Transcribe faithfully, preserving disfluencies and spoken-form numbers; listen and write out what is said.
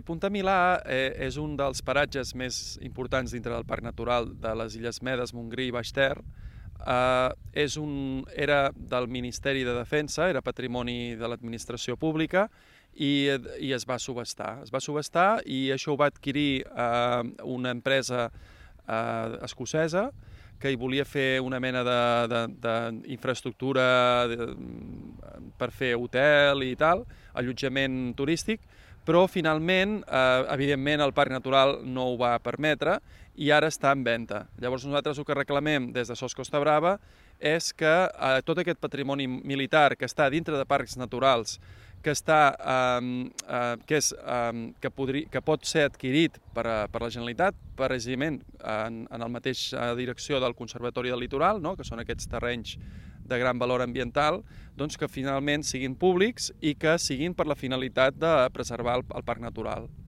Punta Milà eh, és un dels paratges més importants dintre del Parc Natural de les Illes Medes, Montgrí i Baix Ter. Eh, és un, era del Ministeri de Defensa, era patrimoni de l'administració pública i, i es va subhastar. Es va subhastar i això ho va adquirir eh, una empresa eh, escocesa que hi volia fer una mena d'infraestructura per fer hotel i tal, allotjament turístic, però finalment, eh, evidentment, el Parc Natural no ho va permetre i ara està en venda. Llavors nosaltres el que reclamem des de Sos Costa Brava és que eh, tot aquest patrimoni militar que està dintre de parcs naturals, que, està, eh, eh, que, és, eh, que, podri, que pot ser adquirit per, a, per la Generalitat, precisament en, en la mateixa direcció del Conservatori del Litoral, no? Que són aquests terrenys de gran valor ambiental, doncs que finalment siguin públics i que siguin per la finalitat de preservar el, el parc natural.